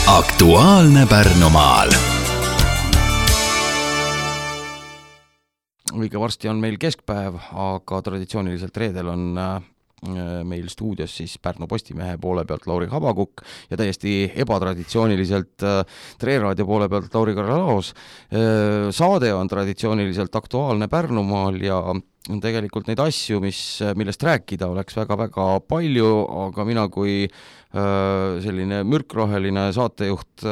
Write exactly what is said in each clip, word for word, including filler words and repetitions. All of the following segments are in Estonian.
Aktuaalne Pärnumaal. Õige varsti on meil keskpäev, aga traditsiooniliselt reedel on meil stuudios siis Pärnu Postimehe poole pealt Lauri Habakukk ja täiesti ebatraditsiooniliselt Tre Raadio poole pealt Lauri Karalaos. Saade on traditsiooniliselt Aktuaalne Pärnumaal ja tegelikult neid asju, mis, millest rääkida oleks väga-väga palju, aga mina kui selline mürkroheline saatejuht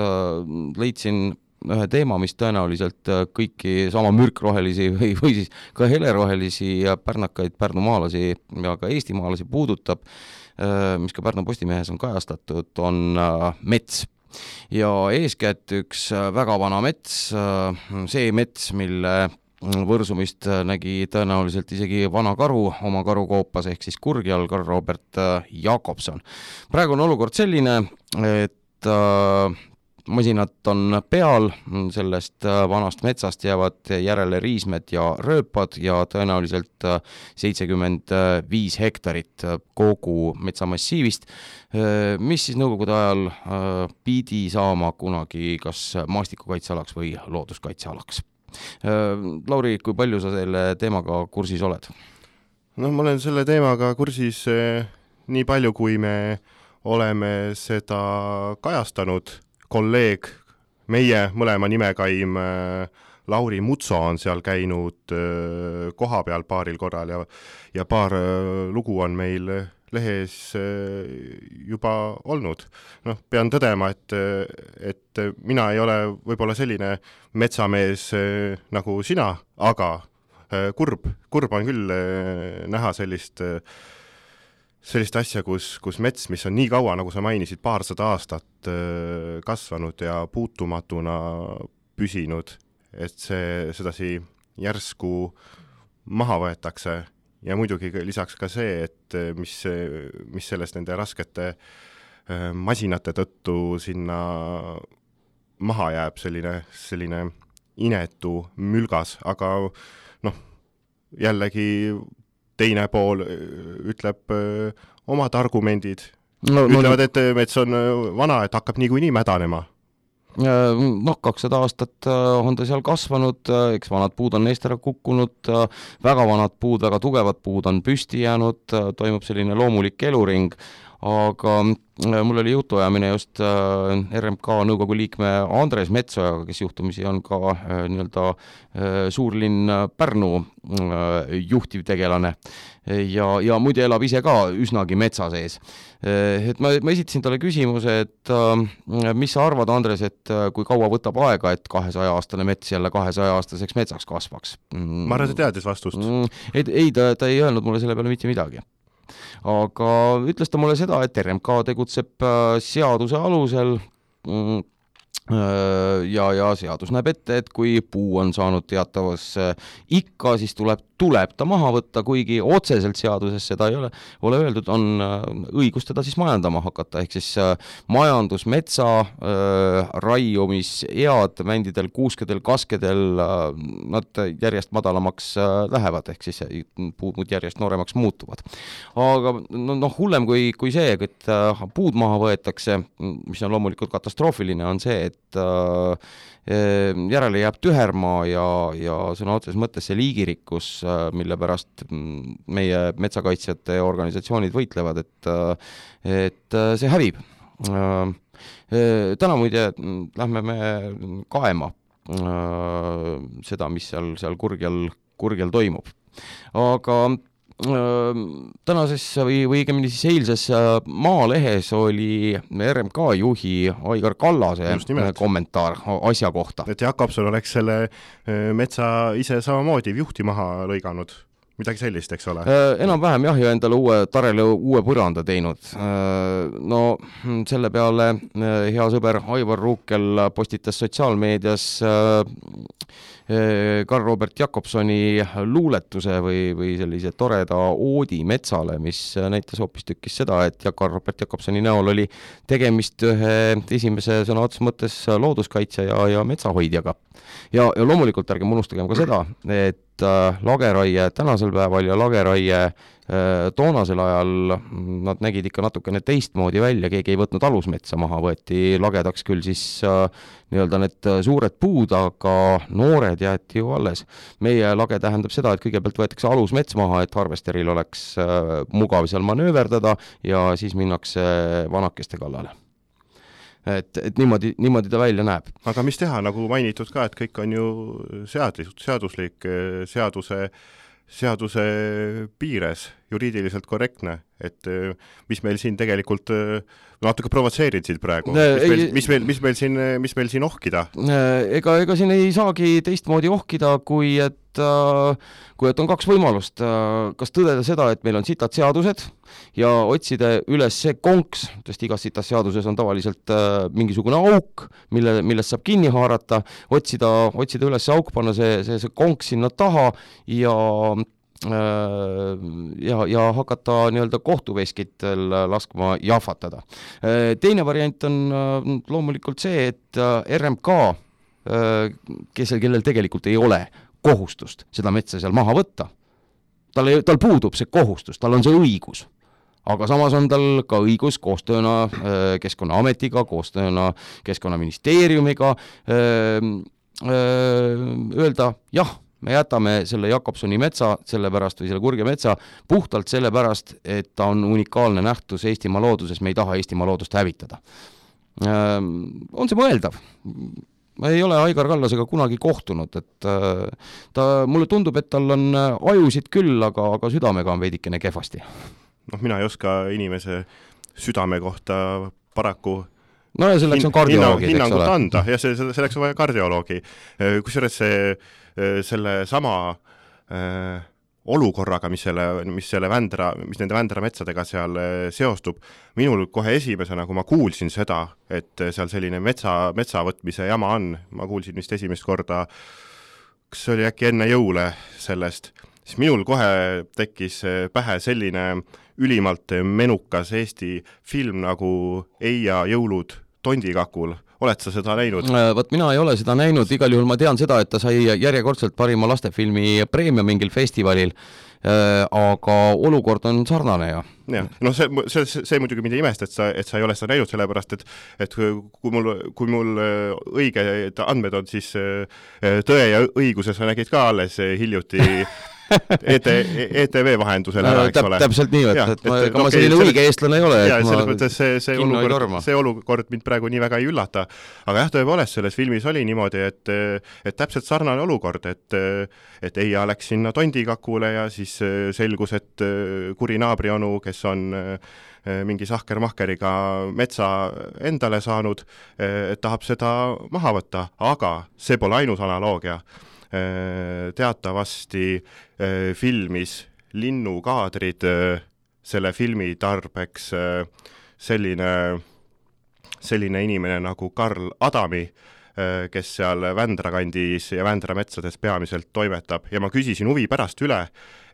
leidsin ühe teema, mis tõenäoliselt kõiki sama mürkrohelisi või, või siis ka helerohelisi ja pärnakaid pärnumaalasi ja ka eestimaalasi puudutab, mis ka Pärnu Postimehes on kajastatud, on mets. Ja eeskätt üks väga vana mets, see mets, mille võrsumist nägi tõenäoliselt isegi vana karu oma karukoopas ehk siis Kurgjal Karl Robert Jakobson. Praegu on olukord selline, et masinad on peal, sellest vanast metsast jäävad järele riismed ja rööpad ja tõenäoliselt seitsekümmend viis hektarit kogu metsamassiivist, mis siis nõukogude ajal pidi saama kunagi kas maastikukaitsealaks või looduskaitsealaks. Lauri, kui palju sa selle teemaga kursis oled? No ma olen selle teemaga kursis nii palju, kui me oleme seda kajastanud. Kolleeg, meie mõlema nimekaim Lauri Mutso on seal käinud koha peal paaril korral ja, ja paar lugu on meil lehes juba olnud. No, pean tõdema, et, et mina ei ole võib-olla selline metsamees nagu sina, aga kurb, kurb on küll näha sellist sellist asja, kus, kus mets, mis on nii kaua, nagu sa mainisid, paarsada aastat kasvanud ja puutumatuna püsinud, et see sedasi järsku maha võetakse ja muidugi lisaks ka see, et mis, mis sellest nende raskete masinate tõttu sinna maha jääb, selline, selline inetu mülgas, aga noh, jällegi teine pool ütleb öö, omad argumendid. No, ütlevad, et mets on vana, et hakkab niikuinii mädanema. Noh, kakssada aastat on ta seal kasvanud, eks vanad puud on neist ära kukkunud, väga vanad puud, väga tugevad puud on püsti jäänud, toimub selline loomulik eluring, aga mul oli jutuajamine just R M K nõukogu liikme Andres Metsojaga, kes juhtumisi on ka nii-öelda suurlinn Pärnu juhtivtegelane ja, ja muide elab ise ka üsnagi metsa sees. Et ma, ma esitasin talle küsimuse, et mis sa arvad, Andres, et kui kaua võtab aega, et kahesaja aastane mets jälle kahesaja aastaseks metsaks kasvaks? Ma arvan, ta teadis vastust. Ei, ei ta, ta ei öelnud mulle selle peale mitte midagi. Aga ütles ta mulle seda, et R M K tegutseb seaduse alusel ja, ja seadus näeb ette, et kui puu on saanud teatavas ikka, siis tuleb, tuleb ta maha võtta, kuigi otseselt seaduses seda ei ole, ole öeldud, on õigus teda siis majandama hakata, ehk siis majandusmetsa raiumisead mändidel, kuuskedel, kaskedel, nad järjest madalamaks lähevad, ehk siis puud järjest nooremaks muutuvad. Aga no, no, hullem kui, kui see, et puud maha võetakse, mis on loomulikult katastroofiline, on see, et järele jääb tühermaa ja, ja sõna otses mõttes see liigirikkus, mille pärast meie metsakaitsjate organisatsioonid võitlevad, et, et see hävib. Täna muide lähme me kaema seda, mis seal, seal kurgjal, kurgjal toimub. Aga tänases või, või õigemini siis eilses Maalehes oli R M K juhi Aigar Kallase kommentaar asja kohta. Et Jakobson oleks selle metsa ise samamoodi juhti maha lõiganud. Midagi sellist, eks ole? Enam-vähem jah, ja endale uue, tarele uue põranda teinud. No selle peale hea sõber Aivar Ruukel postitas sotsiaalmeedias Karl Robert Jakobsoni luuletuse või, või sellise toreda oodi metsale, mis näitas hoopis tükkis seda, et Karl Robert Jakobsoni näol oli tegemist ühe esimese sõna otses mõttes looduskaitse ja, ja metsahoidjaga. Ja, ja loomulikult ärgem unustagem ka seda, et lageraie tänasel päeval ja lageraie Toonasel ajal nad nägid ikka natukene teistmoodi välja, keegi ei võtnud alusmetsa maha, võeti lagedaks küll siis nii-öelda need suured puud, aga noored jäeti ju alles. Meie lage tähendab seda, et kõigepealt võetakse alusmets maha, et harvesteril oleks mugav seal manööverdada ja siis minnakse vanakeste kallale. Et, et niimoodi, niimoodi ta välja näeb. Aga mis teha, nagu mainitud ka, et kõik on ju seadus, seaduslik, seaduse, seaduse piires, juriidiliselt korrektne, et mis meil siin tegelikult natuke provotseerid siit praegu, mis meil, mis meil, mis meil siin, mis meil siin ohkida? Ega, ega siin ei saagi teistmoodi ohkida, kui et, kui et on kaks võimalust. Kas tõdeda seda, et meil on sitad seadused ja otsida üles see konks, sest igas sitas seaduses on tavaliselt mingisugune auk, mille, millest saab kinni haarata, otsida, otsida üles see auk, panna see, see, see konks sinna taha ja ja, ja hakata nii-öelda kohtuveskitel laskma jahvatada. Teine variant on loomulikult see, et R M K, kes, kellel tegelikult ei ole kohustust seda metsa seal maha võtta, tal, ei, tal puudub see kohustus, tal on see õigus. Aga samas on tal ka õigus koostööna Keskkonnaametiga, koostööna Keskkonnaministeeriumiga öelda jah, me jätame selle Jakobsoni metsa sellepärast või selle Kurge metsa puhtalt sellepärast, et ta on unikaalne nähtus Eestimaa looduses, me ei taha Eestimaa loodust hävitada. On see mõeldav? Ma ei ole Aigar Kallasega kunagi kohtunud, et ta, mulle tundub, et tal on ajusid küll, aga, aga südamega on veidikene kehvasti. Noh, mina ei oska inimese südame kohta paraku no ja selleks on kardioloogid, eks ole. Anda, ja see, selleks on vaja kardioloogi. Kusjuures see, selle sama äh, olukorraga, mis, selle, mis, selle vändra, mis nende vändra metsadega seal seostub, minul kohe esimesena, kui ma kuulsin seda, et seal selline metsa, metsa võtmise jama on, ma kuulsin vist esimest korda, kas see oli äkki enne jõule sellest, siis minul kohe tekkis pähe selline ülimalt menukas Eesti film nagu Eija jõulud Tondikakul. Oled sa seda näinud? Võt mina ei ole seda näinud, igal juhul ma tean seda, et ta sai järjekordselt parima lastefilmi preemia mingil festivalil, aga olukord on sarnane ja. Ja, no see, see, see muidugi mind ei imest, et sa, et sa ei ole seda näinud, sellepärast, et, et kui mul, kui mul õiged andmed on, siis Tõe ja õiguse sa nägid ka alles hiljuti E T V vahendusel ära, eks ole. Täpselt nii, et, et, et ma, ega ma selline okay, õige eestlane ei ole. Ja, selles mõttes see, see, olukord, see olukord mind praegu nii väga ei üllata. Aga jah, tõepoolest, selles filmis oli niimoodi, et, et täpselt sarnane olukord, et, et Eija läks sinna Tondikakule ja siis selgus, et kuri naabrionu, kes on mingi sahker-mahkeriga metsa endale saanud, et tahab seda maha võtta, aga see pole ainus analoogia. Teatavasti filmis linnukaadrid selle filmi tarbeks selline, selline inimene nagu Karl Adami, kes seal Vändra kandis ja Vändra metsades peamiselt toimetab ja ma küsisin huvi pärast üle,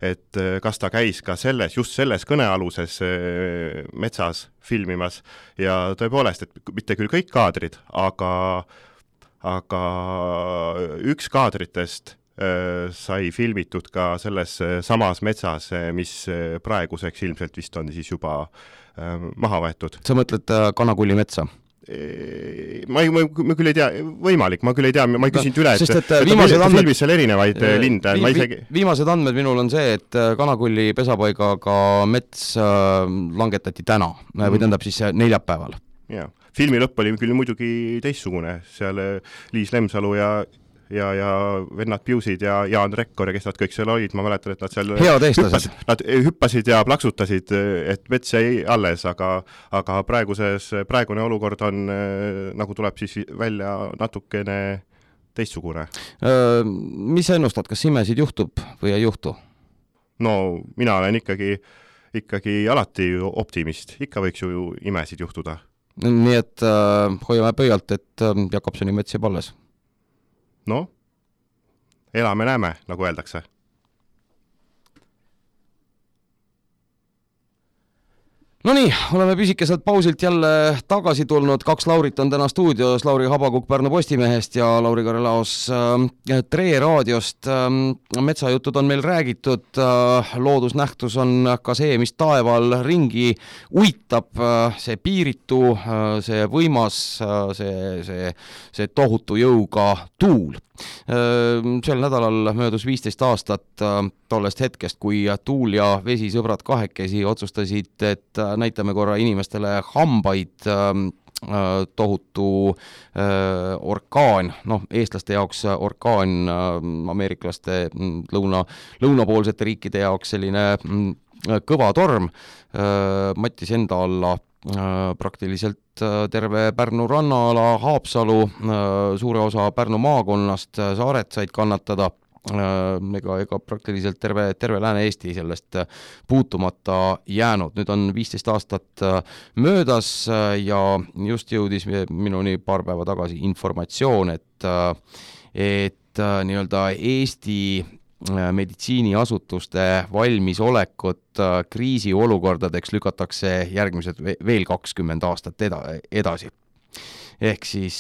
et kas ta käis ka selles, just selles kõnealuses metsas filmimas ja tõepoolest, et mitte küll kõik kaadrid, aga aga üks kaadritest äh, sai filmitud ka selles samas metsas, mis praeguseks ilmselt vist on siis juba äh, maha võetud. Sa mõtled äh, Kanakulli metsa? Ma, ei, ma, ma küll ei tea, võimalik, ma küll ei tea, ma ei küsinud üle, et, Sest, et, et viimased andmed, filmis seal erinevaid äh, linde. Vi, ma isegi... Viimased andmed minul on see, et Kanakulli pesapaigaga mets äh, langetati täna mm. või tähendab siis neljapäeval. Jaa. Filmi lõpp oli küll muidugi teistsugune, seal Liis Lemsalu ja, ja, ja vennad Piusid ja Jaan Rekkor ja kes nad kõik seal olid, ma mäletan, et nad seal hüppasid, nad hüppasid ja plaksutasid, et mets jäi alles, aga, aga praeguses, praegune olukord on, nagu tuleb siis välja natukene teistsugune. Mis sa ennustad, kas imesid juhtub või ei juhtu? No mina olen ikkagi, ikkagi alati optimist, ikka võiks ju imesid juhtuda. Nii et äh, hoiame pöialt, et äh, Jakobsoni mets jääb alles. No, elame näeme, nagu öeldakse. No nii, oleme pisikeselt pausilt jälle tagasi tulnud. Kaks Laurit on täna stuudios, Lauri Habakuk Pärnu Postimehest ja Lauri Karelaos äh, Tre raadiost. Äh, metsajutud on meil räägitud, äh, loodusnähtus on ka see, mis taeval ringi uitab, äh, see piiritu, äh, see võimas, äh, see, see, see tohutu jõuga tuul. Sel nädalal möödus viisteist aastat tollest hetkest, kui tuul ja vesi sõbrad kahekesi otsustasid, et näitame korra inimestele hambaid. Tohutu orkaan, noh, eestlaste jaoks orkaan, ameeriklaste lõuna, lõunapoolsete riikide jaoks selline kõva torm mattis enda alla praktiliselt terve Pärnu rannaala, Haapsalu, suure osa Pärnu maakonnast, saared said kannatada, ega, ega praktiliselt terve, terve Lääne-Eesti sellest puutumata jäänud. Nüüd on viisteist aastat möödas ja just jõudis minuni paar päeva tagasi informatsioon, et, et nii-öelda Eesti meditsiiniasutuste valmisolekut kriisiolukordadeks lükatakse järgmised veel kakskümmend aastat eda- edasi. Ehk siis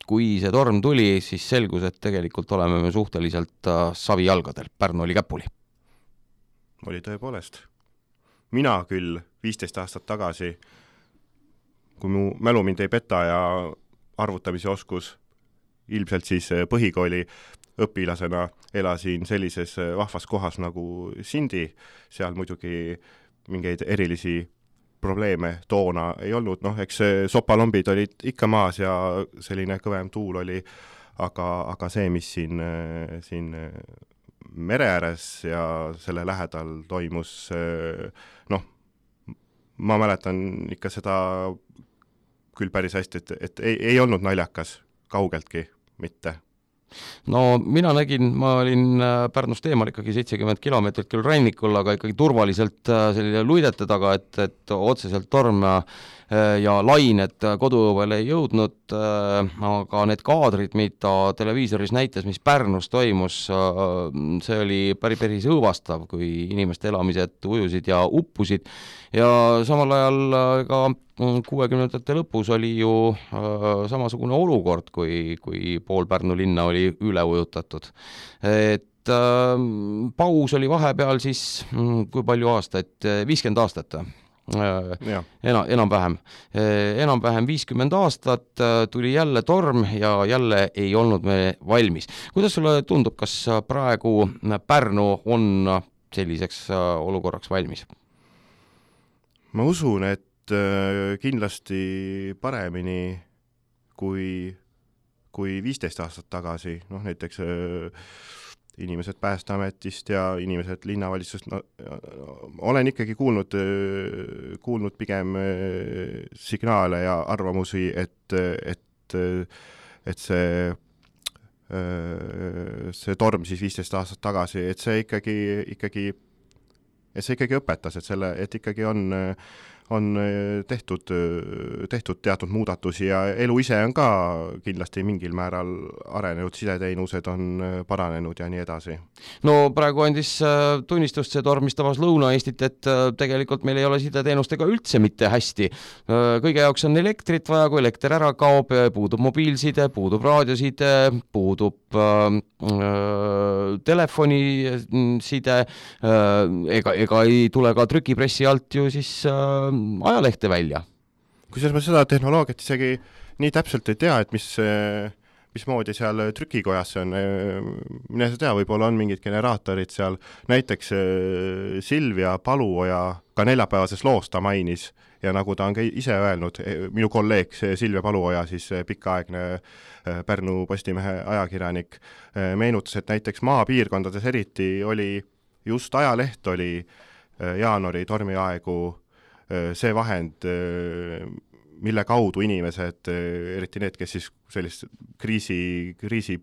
kui see torm tuli, siis selgus, et tegelikult oleme me suhteliselt savijalgadel. Pärnu oli käpuli. Oli tõepoolest. Mina küll viisteist aastat tagasi, kui mu mälu mind ei peta ja arvutamise oskus ilmselt siis põhikooli õpilasena elasin sellises vahvas kohas nagu Sindi, seal muidugi mingeid erilisi probleeme toona ei olnud, noh, eks sopalombid olid ikka maas ja selline kõvem tuul oli, aga, aga see, mis siin, siin mere ääres ja selle lähedal toimus, noh, ma mäletan ikka seda küll päris hästi, et, et ei, ei olnud naljakas kaugeltki mitte. No mina nägin, ma olin Pärnust eemal ikkagi seitsekümmend kilomeetrit küll rannikul, aga ikkagi turvaliselt selline luidete taga, et, et otseselt torm ja lained koduõuele ei jõudnud, aga need kaadrid, mida televiisoris näitas, mis Pärnus toimus, see oli päris, päris õõvastav, kui inimeste elamised ujusid ja uppusid ja samal ajal ka kuuekümnendate lõpus oli ju samasugune olukord, kui, kui pool Pärnu linna oli üle ujutatud. Et paus oli vahepeal siis, kui palju aastaid, viiskümmend aastat. Ena, enam-vähem. Enam-vähem viiskümmend aastat tuli jälle torm ja jälle ei olnud me valmis. Kuidas sulle tundub, kas praegu Pärnu on selliseks olukorraks valmis? Ma usun, et kindlasti paremini kui, kui viisteist aastat tagasi, noh näiteks inimesed Päästeametist ja inimesed linnavalitsusest, no, olen ikkagi kuulnud, kuulnud pigem signaale ja arvamusi, et, et, et see, see torm siis viisteist aastat tagasi, et see ikkagi, ikkagi, et see ikkagi õpetas, et, selle, et ikkagi on on tehtud, tehtud teatud muudatusi ja elu ise on ka kindlasti mingil määral arenenud, sideteenused on paranenud ja nii edasi. No praegu andis tunnistust see torm, mis tabas Lõuna-Eestit, et tegelikult meil ei ole sideteenustega üldse mitte hästi. Kõige jaoks on elektrit vaja, kui elekter ära kaob, puudub mobiilside, puudub raadioside, puudub äh, telefoniside, äh, ega, ega ei tule ka trükipressi alt ju siis äh, ajalehte välja. Kusjuures ma seda tehnoloogiat isegi nii täpselt ei tea, et mis, mismoodi seal trükikojas on. Mine sa tea, võib-olla on mingid generaatorid seal. Näiteks Silvia Paluoja ka neljapäevases loos ta mainis ja nagu ta on ka ise öelnud, minu kolleeg Silvia Paluoja, siis pikaaegne Pärnu Postimehe ajakirjanik, meenutas, et näiteks maapiirkondades eriti oli, just ajaleht oli jaanuari tormiaegu see vahend, mille kaudu inimesed, eriti need, kes siis sellist kriisi, kriisi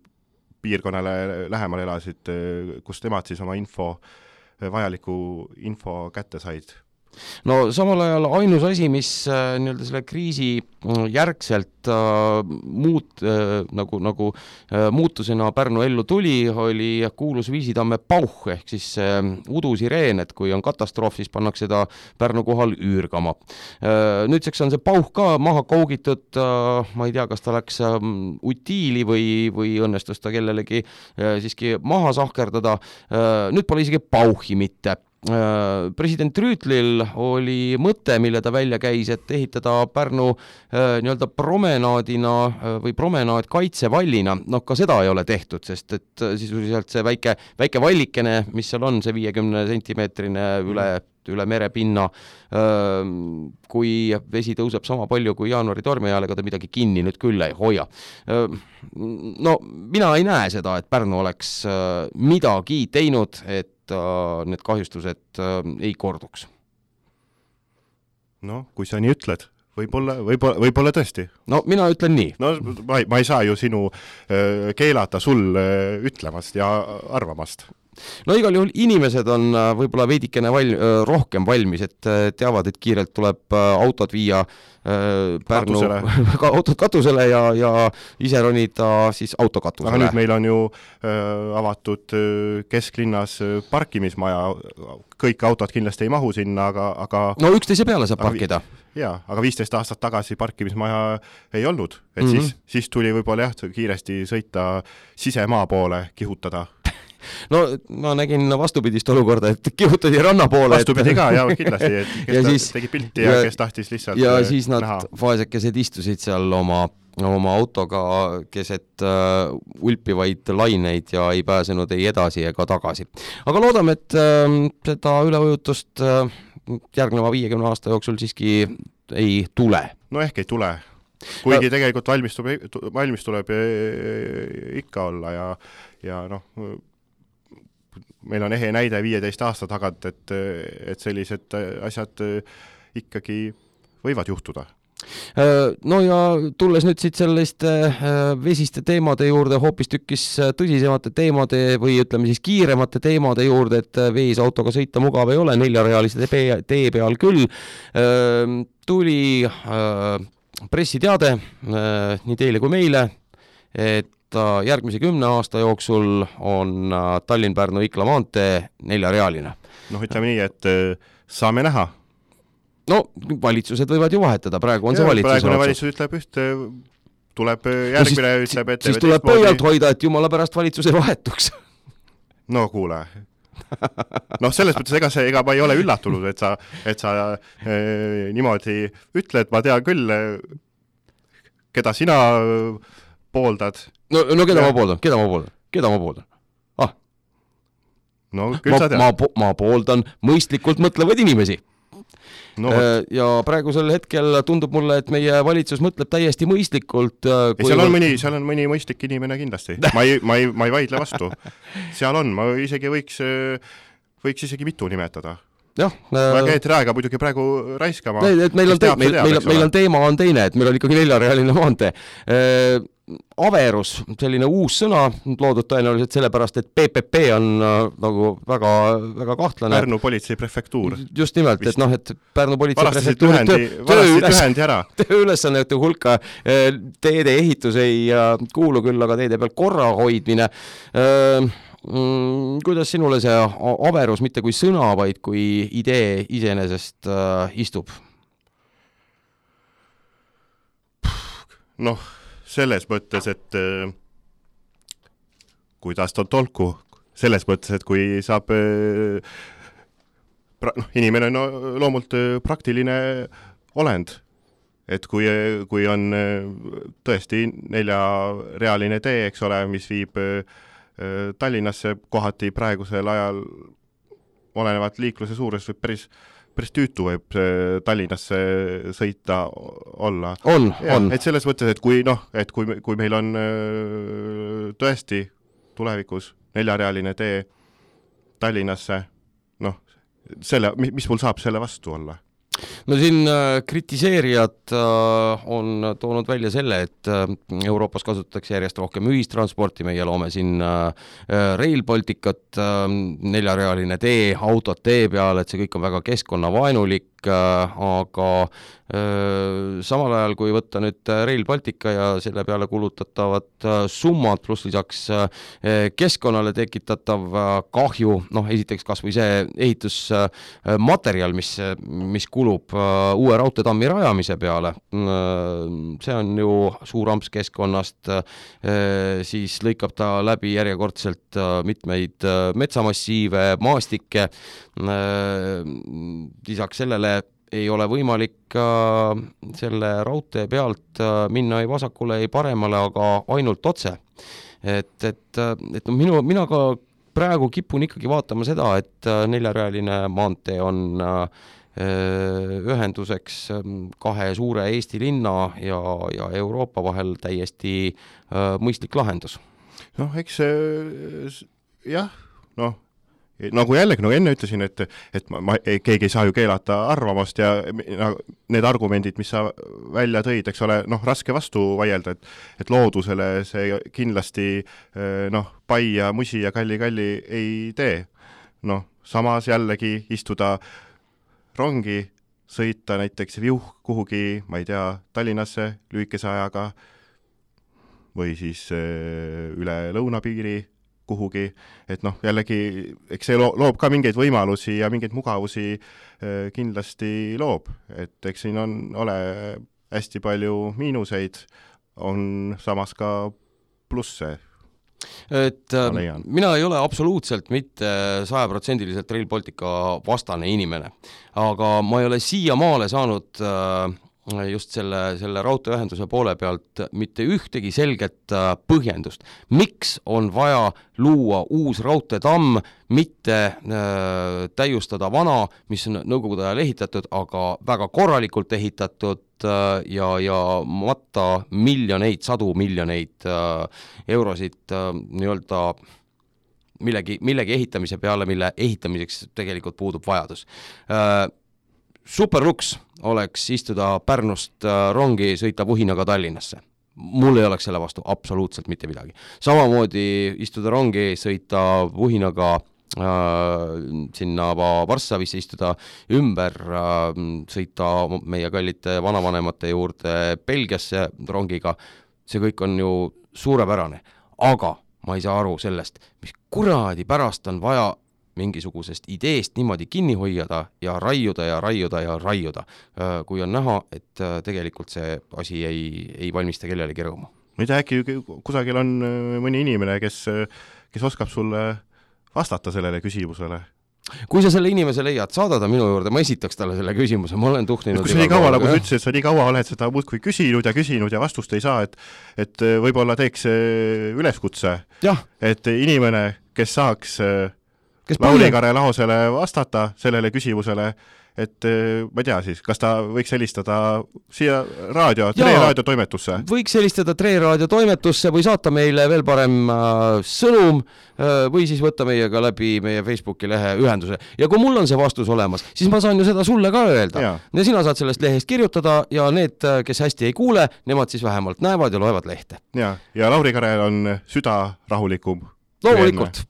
piirkonnale lähemal elasid, kus nemad siis oma info, vajaliku info kätte said. no samal ajal ainus asi, mis äh, nii-öelda selle kriisi järgselt äh, muut, äh, nagu, nagu äh, muutusena Pärnu ellu tuli, oli kuulus Viisitamme pauh ehk siis äh, udusireen, et kui on katastroof, siis pannakse seda Pärnu kohal üürgama. Äh, nüüdseks on see pauh ka maha kaugitud, äh, ma ei tea, kas ta läks äh, utiili või, või õnnestus ta kellelegi äh, siiski maha sahkerdada. Äh, nüüd pole isegi pauhi mitte. President Rüütlil oli mõte, mille ta välja käis, et ehitada Pärnu äh, nii-öelda promenaadina äh, või promenaad kaitsevallina. No ka seda ei ole tehtud, sest et sisuliselt see väike, väike vallikene, mis seal on, see viiekümne sentimeetrine üle, üle merepinna, äh, kui vesi tõuseb sama palju kui jaanuari tormi ajal, ega ta midagi kinni nüüd küll ei hoia. Äh, no mina ei näe seda, et Pärnu oleks äh, midagi teinud, et need kahjustused äh, ei korduks. No, kui sa nii ütled, võib-olla, võib-olla, võib-olla tõesti. No mina ütlen nii. No ma ei, ma ei saa ju sinu äh, keelata sul äh, ütlemast ja arvamast. No igal juhul inimesed on äh, võib-olla veidikene val, äh, rohkem valmis, et äh, teavad, et kiirelt tuleb äh, autod viia äh, Pärnu katusele. autod katusele ja, ja ise ronida siis auto katusele. Aga nüüd meil on ju äh, avatud äh, kesklinnas äh, parkimismaja, kõik autod kindlasti ei mahu sinna, aga, aga no üksteise peale saab parkida. Jaa, aga viisteist aastat tagasi parkimismaja ei olnud, et mm-hmm. siis, siis tuli võib-olla jah, kiiresti sõita sisemaa poole, kihutada. No ma nägin vastupidist olukorda, et kihutati ranna poole. Vastupidi et... ka, jah, kindlasti, et kes ja siis, tegi pilti ja, ja kes tahtis lihtsalt ja siis nad näha. Vaesekesed istusid seal oma, oma autoga keset uh, ulpivaid laineid ja ei pääsenud ei edasi ega tagasi. Aga loodame, et uh, seda üleujutust uh, järgneva viiekümne aasta jooksul siiski ei tule. No ehk ei tule. Kuigi ja... tegelikult valmis, valmis tuleb ikka olla ja, ja noh, meil on ehe näide viieteist aasta tagant, et, et sellised asjad ikkagi võivad juhtuda. No ja tulles nüüd siit selliste vesiste teemade juurde, hoopis tükkis tõsisemate teemade või ütleme siis kiiremate teemade juurde, et vees autoga sõita mugav ei ole, neljarealiste tee peal küll. Tuli pressiteade nii teile kui meile, et järgmise kümne aasta jooksul on Tallinn-Pärnu-Ikla maantee neljarealine. Noh, ütleme nii, et saame näha. No, valitsused võivad ju vahetada, praegu on ja, see valitsus. Praegune valitsus ütleb üht, tuleb järgmine no, siis, ütleb, et... Siis tuleb pöialt hoida, et jumala pärast valitsus ei vahetuks. No kuule. noh, selles mõttes, ega, see, ega ma ei ole üllatunud, et sa, et sa e, niimoodi ütled, ma tean küll, keda sina pooldad. No, no keda ja. ma pooldan? Keda ma pooldan? Keda ma pooldan? Ah. No, küll ma, sa tead. Ma, ma pooldan mõistlikult mõtlevad inimesi. No, ja praegusel hetkel tundub mulle, et meie valitsus mõtleb täiesti mõistlikult. Kui... Seal, on mõni, seal on mõni mõistlik inimene kindlasti. Ma ei, ma ei, ma ei vaidle vastu. Seal on, ma isegi võiks, võiks isegi mitu nimetada. Jah, ma käid rääga muidugi praegu raiskama. Et meil, on te, meil, teab, meil, meil on teema on teine, et meil on ikkagi neljarealine maantee. Averus, selline uus sõna, loodud tõenäoliselt sellepärast, et P P P on äh, nagu väga, väga kahtlane. Pärnu politsei prefektuur. Just nimelt, Vist. et noh, et Pärnu politsei varastasid prefektuuri töö üles, ülesannete hulka teede ehitus ei kuulu küll, aga teede peal korra hoidmine. Mm, kuidas sinule see Averus mitte kui sõna, vaid kui idee iseenesest äh, istub? Noh, selles mõttes, et äh, kuidas ta on tolku, selles mõttes, et kui saab äh, pra, noh, inimene on no, loomult äh, praktiline olend, et kui, kui on äh, tõesti neljarealine tee, eks ole, mis viib äh, Tallinnasse kohati praegusel ajal olenevat liikluse suures võib päris päris tüütu võib Tallinnasse sõita olla. On, ja, on. Et selles mõttes, et kui, noh, et kui, kui meil on tõesti tulevikus neljarealine tee Tallinnasse, noh, selle, mis mul saab selle vastu olla? No siin kritiseerijad on toonud välja selle, et Euroopas kasutatakse järjest rohkem ühistransporti, meie loome siin Rail Balticut, neljarealine tee, autod tee peal, et see kõik on väga keskkonnavaenulik, aga samal ajal, kui võtta nüüd Rail Baltica ja selle peale kulutatavad summad, pluss lisaks keskkonnale tekitatav kahju, noh esiteks kas või see ehitusmaterjal, mis, mis kulub uue raudteetammi rajamise peale, see on ju suur amps keskkonnast, siis lõikab ta läbi järjekordselt mitmeid metsamassiive, maastikke, lisaks sellele ei ole võimalik selle raudtee pealt minna ei vasakule, ei paremale, aga ainult otse. Et, et, et minu, mina ka praegu kipun ikkagi vaatama seda, et neljarealine maantee on ühenduseks kahe suure Eesti linna ja, ja Euroopa vahel täiesti mõistlik lahendus. Noh, eks jah, noh, nagu jällegi, nagu enne ütlesin, et, et ma, ma, keegi ei saa ju keelata arvamast ja need argumendid, mis sa välja tõid, eks ole, noh, raske vastu vaielda, et, et loodusele see kindlasti noh, pai ja musi ja kalli-kalli ei tee. Noh, samas jällegi istuda rongi, sõita näiteks viuh kuhugi, ma ei tea, Tallinnasse lühikese ajaga või siis üle lõunapiiri kuhugi, et noh, jällegi, eks see loob ka mingeid võimalusi ja mingeid mugavusi kindlasti loob, et eks siin on, ole hästi palju miinuseid, on samas ka plusse. Et mina ei ole absoluutselt mitte sajaprotsendiliselt Rail Baltica vastane inimene, aga ma ei ole siiamaale saanud just selle, selle raudteeühenduse poole pealt mitte ühtegi selget põhjendust. Miks on vaja luua uus raudteetamm, mitte äh, täiustada vana, mis on nõukogude ajal ehitatud, aga väga korralikult ehitatud äh, ja, ja matta miljoneid, sadu miljoneid äh, eurosid äh, nii-öelda millegi, millegi ehitamise peale, mille ehitamiseks tegelikult puudub vajadus. Äh, Superluks oleks istuda Pärnust rongi, sõita Vuhinaga Tallinnasse. Mul ei oleks selle vastu absoluutselt mitte midagi. Samamoodi istuda rongi, sõita Vuhinaga äh, sinna Varssavisse, istuda ümber, äh, sõita meie kallite vanavanemate juurde Belgiasse rongiga. See kõik on ju suurepärane. Aga ma ei saa aru sellest, mis kuradi pärast on vaja mingisugusest ideest niimoodi kinni hoiada ja raiuda ja raiuda ja raiuda, kui on näha, et tegelikult see asi ei, ei valmista kellelegi rõõmu. Ma ei tea, äkki kusagil on mõni inimene, kes, kes oskab sulle vastata sellele küsimusele? Kui sa selle inimese leiad, saada ta minu juurde, ma esitaks talle selle küsimuse, ma olen tuhninud. Kui sa nii kaua, nagu sa ütlesid, et sa nii kaua oled seda muudkui küsinud ja küsinud ja vastust ei saa, et, et võib-olla teeks üleskutse, et inimene, kes saaks Lauri Kare Laosele vastata sellele küsimusele, et ma ei tea siis, kas ta võiks helistada siia raadio, Tre Raadio toimetusse? Võiks helistada Tre Raadio toimetusse või saata meile veel parem äh, sõnum äh, või siis võtta meiega läbi meie Facebooki lehe ühenduse. Ja kui mul on see vastus olemas, siis ma saan ju seda sulle ka öelda. Ja, ja sina saad sellest lehest kirjutada ja need, kes hästi ei kuule, nemad siis vähemalt näevad ja loevad lehte. Ja, ja Lauri Karel on süda rahulikum. Loomulikult.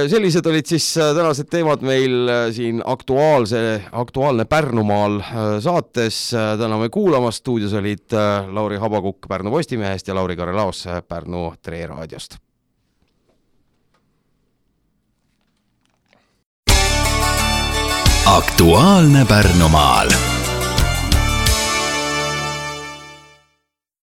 Sellised olid siis tänased teemad meil siin aktuaalse, aktuaalne Pärnumaal saates. Täname kuulamast. Stuudios olid Lauri Habakukk Pärnu Postimehest ja Lauri Kare Laos Pärnu Tre Raadiost. Aktuaalne Pärnumaal.